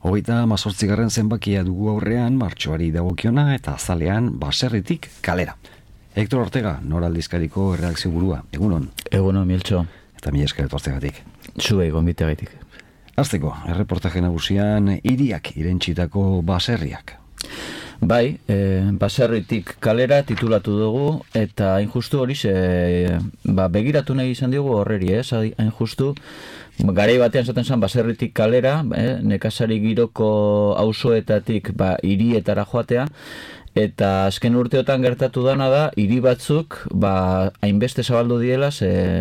28. zenbakia dugu aurrean, martxoari dagokiona eta azalean baserritik kalera. Hector Ortega, Nor aldizkariko erredakzio burua. Egunon. Egunon, Miltxo. Eta mila esker etortzegatik. Zuei gonbiteagatik. Hasteko, erreportaje nagusian hiriak irentsitako baserriak. Bai, baserritik kalera titulatu dugu, eta hain justu hori begiratu nahi izan diogu horreri, hain justu, garai batean zaten zen baserritik kalera, nekazari giroko auzoetatik hirietara joatea, eta azken urteotan gertatu dana da, hiri batzuk hainbeste zabaldu diela,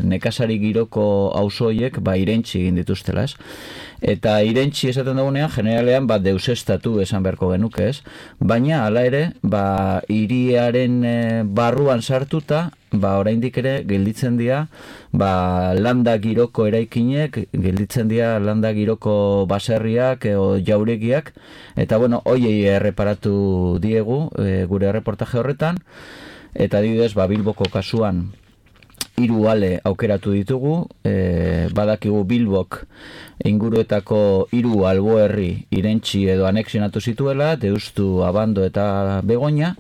nekazari giroko auzoiek irentsi egin dituztela, ez? Eta irentsi esaten dugunean, generalean deusestatu esan beharko genuke, ez? Baina, hala ere, hiriaren barruan sartuta, oraindik ere gelditzen dira landa giroko eraikinek, gelditzen dira landa giroko baserriak o jauregiak, eta hoiei erreparatu diegu gure reportaje horretan, eta adibidez Bilboko kasuan 3 ale aukeratu ditugu, badakigu Bilbok inguruetako 3 alboherri irentsi edo anexionatu zituela, Deustu, Abando eta Begoña,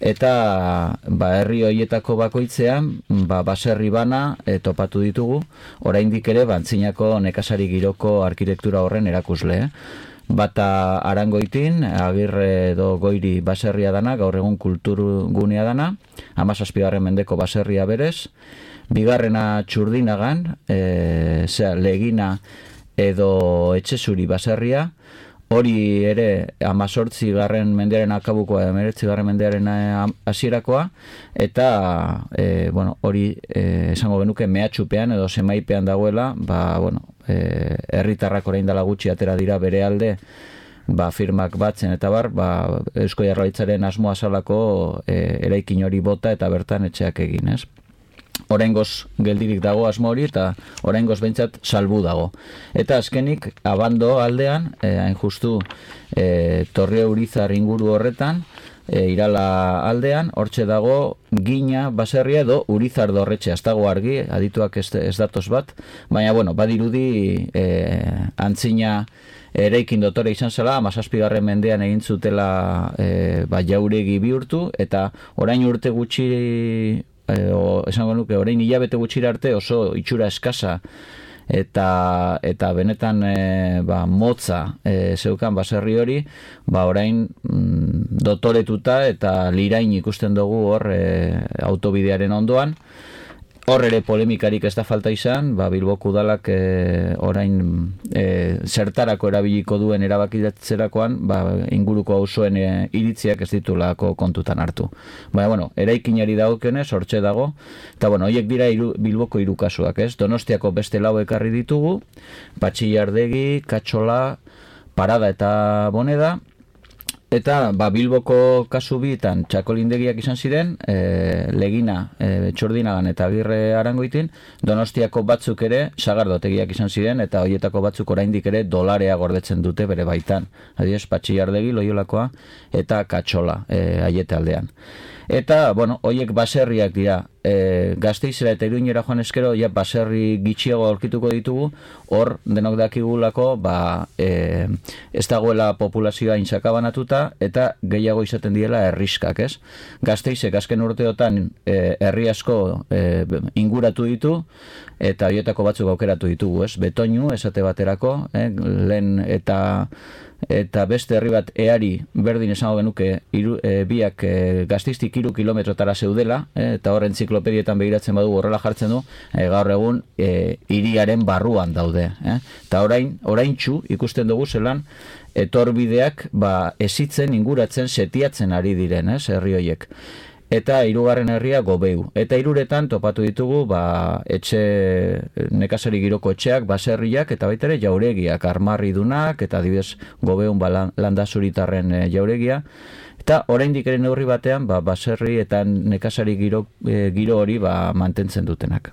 eta herri horietako bakoitzean baserri bana topatu ditugu, oraindik ere antzinako nekazari giroko arkitektura horren erakusle. Bata Arangoitin, Agirre edo Goiri baserria dana, gaur egun kulturgunea dana, 17. mendeko baserria berez, bigarrena Txurdinagan, Legina edo Etxezuri baserria, hori ere 18. mendearen akabukoa, 19. mendearen hasierakoa, eta hori esango genuke mehatxupean edo semaipean dagoela, herritarrak orain dela gutxi atera dira bere alde, firmak batzen eta Eusko Jaurlaritzaren asmoa zalako eraikin hori bota eta bertan etxeak egin, ez? Oraingoz geldirik dago asmo hori eta oraingoz behintzat salbu dago. Eta azkenik Abando aldean, hain justu Torre Urizar inguru horretan, Irala aldean, hortxe dago Gina baserria edo Urizar dorretxea, ez dago argi, adituak ez datoz bat, baina badirudi antzina eraikin dotore izan zela, 17. mendean egin zutela jauregi bihurtu, eta orain urte gutxi esango nuke, orain hilabete gutxira arte oso itxura eskasa eta benetan motza zeukan baserri hori, orain dotoretuta eta lirain ikusten dugu hor autobidearen ondoan. Hor ere polemikarik ez da falta izan, Bilboko udalak orain zertarako erabiliko duen erabakitzerakoan, inguruko auzoen iritziak ez ditulako kontutan hartu. Baina, eraikinari dagokionez, hortxe dago, eta horiek dira Bilboko 3 kasuak, ez? Donostiako beste 4 ekarri ditugu, Patxillardegi, Katxola, Parada eta Boneda, eta Bilboko kasu bietan txakolindegiak izan ziren, Legina, Txurdinagan eta Agirre Arangoitin, Donostiako batzuk ere sagardotegiak izan ziren, eta horietako batzuk oraindik ere dolarea gordetzen dute bere baitan. Adibidez, Patxillardegi, Loiolakoa, eta Katxola, Aiete aldean. Eta, horiek baserriak dira, Gasteizera eta Iruñera joan eskero, baserri gitxiago aurkituko ditugu, hor denok dakigulako, ez dagoela populazioa insakabanatuta, eta gehiago izaten diela herriskak, ez? Gasteizek azken urteotan herri asko inguratu ditu, eta horietako batzuk aukeratu ditugu, ez? Betoinu, esate baterako, lehen eta beste herri bat Eari berdin esango genuke biak Gasteiztik 3 kilometrotara zeudela, eta hor entziklopedietan begiratzen badu horrela jartzen du, gaur egun hiriaren barruan daude. Eta oraintxu ikusten dugu zelan etorbideak esitzen, inguratzen, setiatzen ari diren, herri horiek. Eta 3. herria Gobeu. Eta 3etan topatu ditugu etxe nekazari giroko etxeak, baserriak eta baita ere jauregiak, armarridunak eta adibidez Gobeun landazuritarren jauregia. Eta oraindik ere neurri batean baserri eta nekazari giro hori mantentzen dutenak.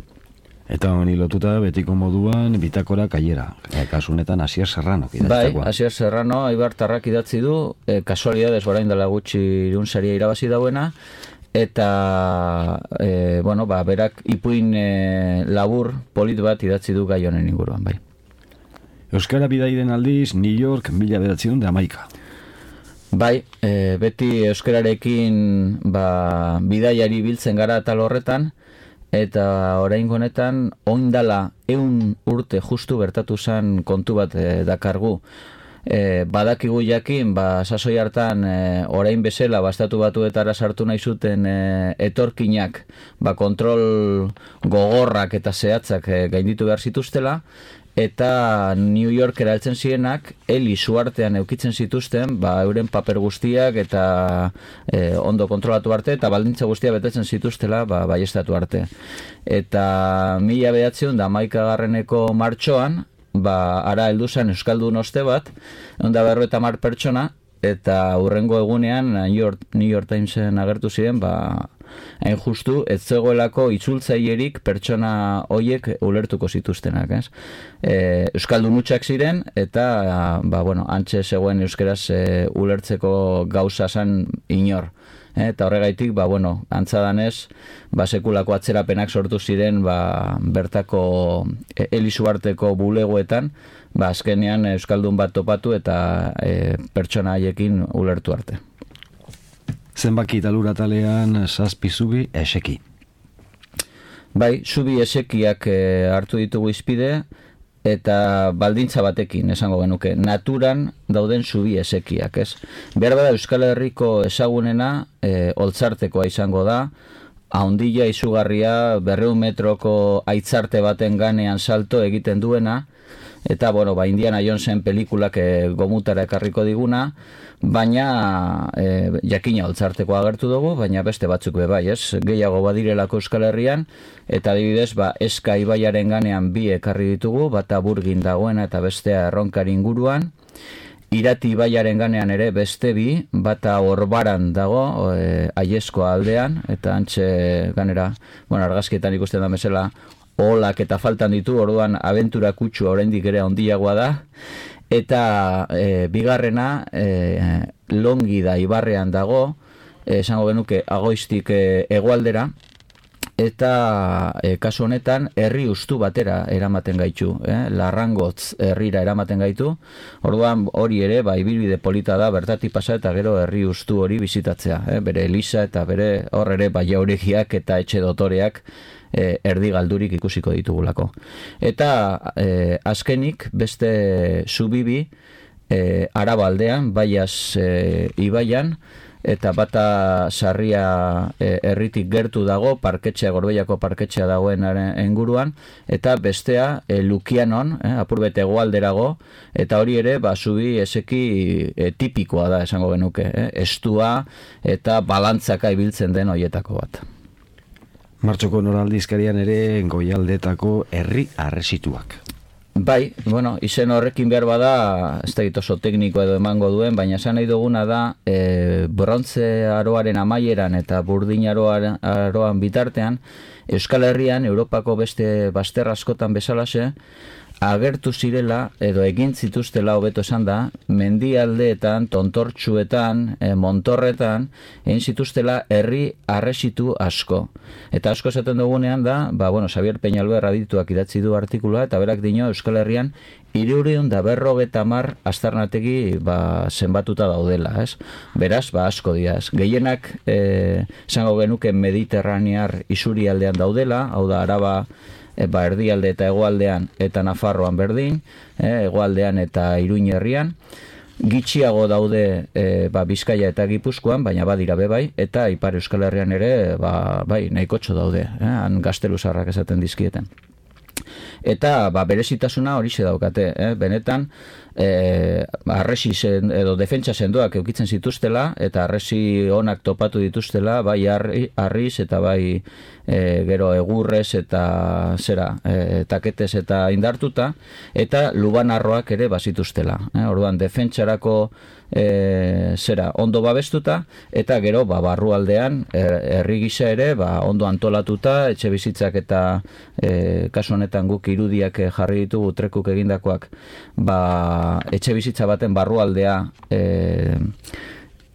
Eta honi lotuta betiko moduan bitakora kaiera, kasunetan Asier Serrano idatzitakoa. Bai, Asier Serrano Aibartarrak idatzi du, kasualidadez orain dela gutxi irunsaria irabazi dauena, eta berak ipuin labur polit bat idatzi du gai honen inguruan, bai. Euskara bidaiden aldiz, New York 1911. Bai, beti euskararekin bidaiari biltzen gara atal horretan, eta oraingo honetan oindala 100 urte justu bertatu zen kontu bat dakargu. Badakigu jakin, sasoi hartan orain bezala Estatu Batuetara sartu nahi zuten etorkinak kontrol gogorrak eta zehatzak gainditu behar zituztela, eta New Yorkera heltzen zirenak heli suartean eukitzen zituzten euren paper guztiak eta ondo kontrolatu arte eta baldintza guztiak betetzen zituztela baiestatu arte. Eta 1911 martxoan ara heldu zen euskaldun oste bat, 150 pertsona, eta hurrengo egunean New York Timesen agertu ziren, hain justu, ez zegoelako itzultzailerik pertsona hoiek ulertuko zituztenak, ez? Euskaldun hutsak ziren, eta, antxe zegoen euskeraz ulertzeko gauza zen inor. Eta horregaitik, antzadanez, sekulako atzerapenak sortu ziren bertako Elisuarteko bulegoetan, azkenean euskaldun bat topatu eta pertsona haiekin ulertu arte. Zenbaki talura talean 7 zubi eseki. Bai, zubi esekiak hartu ditugu izpide, eta baldintza batekin, esango genuke, naturan dauden zubi esekiak, ez? Behar bada Euskal Herriko ezagunena Oltzartekoa izango da, haundila izugarria 200 metroko aitzarte baten ganean salto egiten duena, eta, Indiana Jonesen pelikulak gomutara ekarriko diguna, baina jakina Oltzarteko agertu dugu, baina beste batzuk bai, ez? Gehiago badirelako Euskal Herrian, eta adibidez, Eska ibaiaren ganean 2 ekarri ditugu, bata Burgin dagoena eta bestea Erronkari inguruan, Irati ibaiaren ganean ere beste 2, bata Orbaran dago, Aiesko aldean, eta antxe ganera, argazkietan ikusten da bezala, olak eta faltan ditu, orduan abentura kutsua oraindik ere handiagoa da, eta bigarrena Longi da ibarrean dago, esango genuke Agoiztik hegoaldera, eta kasu honetan herri ustu batera eramaten gaitu, Larrangotz herrira eramaten gaitu, orduan hori ere ibilbide polita da bertatik pasa eta gero herri ustu hori bizitatzea, bere eliza eta bere hor ere jauregiak eta etxe dotoreak erdi galdurik ikusiko ditugulako. Eta azkenik beste zubibi Araba aldean, Baias ibaian, eta bata Sarria herritik gertu dago, parketxea, Gorbeiako parketxea dagoen inguruan, eta bestea Lukianon, apurbete hegoalderago, eta hori ere zubi eseki tipikoa da, esango genuke, estua eta balantzaka ibiltzen den hoietako bat. Martxoko noraldizkarian ere Goialdetako herri arresituak. Bai, izen horrekin behar bada, ez da oso tekniko edo emango duen, baina esan nahi duguna da, brontze aroaren amaieran eta burdin aroan bitartean, Euskal Herrian, Europako beste bazter askotan bezalaxe, agertu zirela, edo egin zituztela hobeto esan da, mendialdeetan, tontortxuetan, montorretan, egin zituztela herri arresitu asko. Eta asko esaten dugunean da, Xabier Peñalver adituak idatzi du artikulua, eta berak dio Euskal Herrian 350 aztarnategi zenbatuta daudela, ez? Beraz, asko dira, ez? Gehienak, esango genuke mediterranear isurialdean daudela, hau da Araba, erdialde eta hegoaldean eta Nafarroan berdin, hegoaldean eta Iruin herrian, gitxiago daude Bizkaia eta Gipuzkoan, baina badira bai, eta Ipar Euskal Herrian ere nahikotxo daude, han gazteluzarrak esaten dizkieten. Eta berezitasuna horixe daukate, benetan arresi edo defentsa sendoak eukitzen zituztela, eta arresi onak topatu dituztela, bai harriz eta bai gero egurrez eta taketez eta indartuta, eta lubanarroak ere bazituztela. Orduan defentsarako ondo babestuta, eta gero barrualdean herri gisa ere ondo antolatuta, etxe bizitzak eta kasu honetan guk irudiak jarri ditugu trekuk egindakoak, etxe bizitza baten barrualdea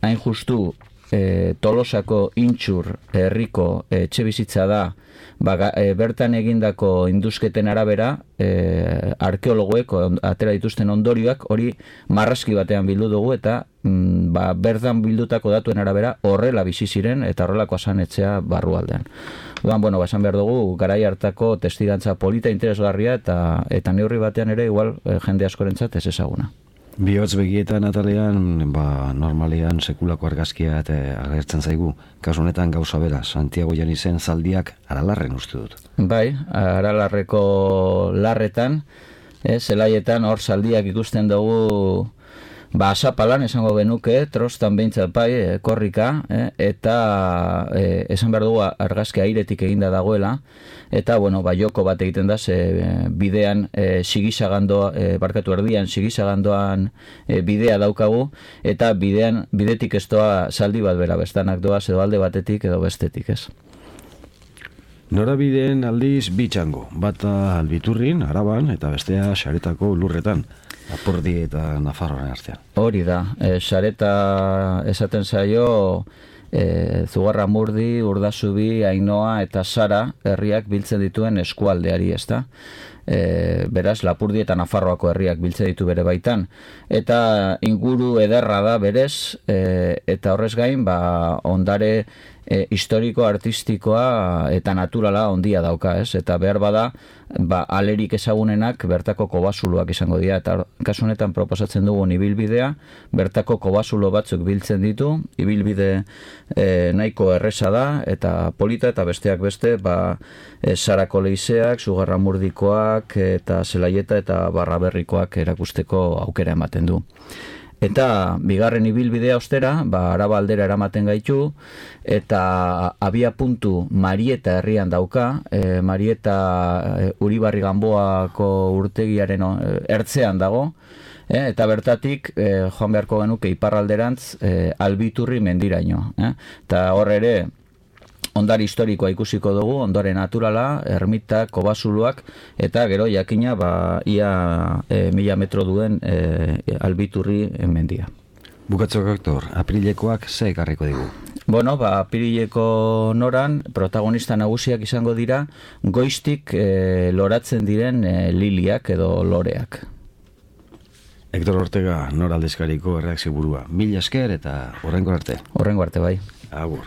hain justu Tolosako Intxur herriko etxebizitza da, bertan egindako indusketen arabera, arkeologoek atera dituzten ondorioak hori marrazki batean bildu dugu eta bertan bildutako datuen arabera horrela bizi ziren eta horrelako asanetxea barrualdean. Bueno, esan behar dugu, garai hartako testigantza polita interesgarria eta neurri batean ere igual jende askorentzat ez ezaguna. Bihotz begietan atalean, normalean sekulako argazkia agertzen zaigu. Kasu honetan gauza bera, Santiago Janizen zaldiak Aralarren uste dut. Bai, Aralarreko larretan, zelaietan hor zaldiak ikusten dugu asapalan esango genuke, trostan behintzat bai, korrika, eta esan behar dugu argazki airetik eginda dagoela, eta, joko bat egiten da, bidean erdian sigisagandoan bidea daukagu, eta bidetik ez doa zaldi bat bera, bestanak doaz edo alde batetik edo bestetik, ez. Norabideen aldiz bitxango, bata Albiturrin, Araban, eta bestea Saretako lurretan. Apurdi eta Nafarroaren artean. Hori da, Sareta esaten zaio Zugarramurdi, Urdasubi, Ainoa eta Sara herriak biltzen dituen eskualdeari, ezta? Beraz, Lapurdi eta Nafarroako herriak biltzen ditu bere baitan. Eta inguru ederra da berez, eta horrez gain, ondare historiko, artistikoa eta naturala ondia dauka, ez? Eta behar bada, alerik ezagunenak bertako kobasuloak izango dira, eta kasu honetan proposatzen dugun ibilbidea, bertako kobasulo batzuk biltzen ditu, ibilbide nahiko erresa da, eta polita, eta besteak beste, Sarako leizeak, Zugarramurdikoak, eta Zelaieta eta Barraberrikoak erakusteko aukera ematen du. Eta bigarren ibilbidea ostera, Araba aldera eramaten gaitu, eta abia puntu Marieta herrian dauka, Marieta Uribarri Ganboako urtegiaren ertzean dago, eta bertatik joan beharko genuke iparralderantz Albiturri mendiraino. Eta hor ere, ondare historikoa ikusiko dugu, ondare naturala, ermita, kobasuluak, eta gero jakina ia 1000 metro duen Albiturri mendia. Bukatzeko, Hector, aprilekoak ze ekarriko digu? Aprileko noran protagonista nagusiak izango dira goiztik loratzen diren liliak edo loreak. Hector Ortega, Nor aldizkariko erreakzio burua. Mila esker eta horrengo arte. Horrengo arte, bai. Agur.